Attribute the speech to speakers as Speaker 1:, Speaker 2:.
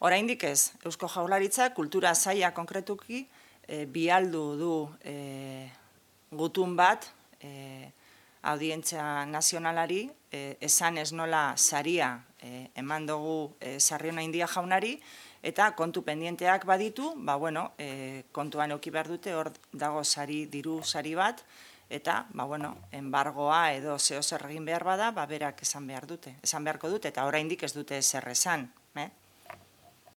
Speaker 1: Oraindik ez, Eusko Jaurlaritza kultura saila konkretuki bialdu du gutun bat audientzia nazionalari, esan ez nola saria eman dugu Sarriona India jaunari, eta kontu pendienteak baditu, kontuan eduki behar dute, hor dago diru sari bat, eta, embargoa edo zeo zer egin behar bada, berak esan beharko dute, eta oraindik ez dute zer esan.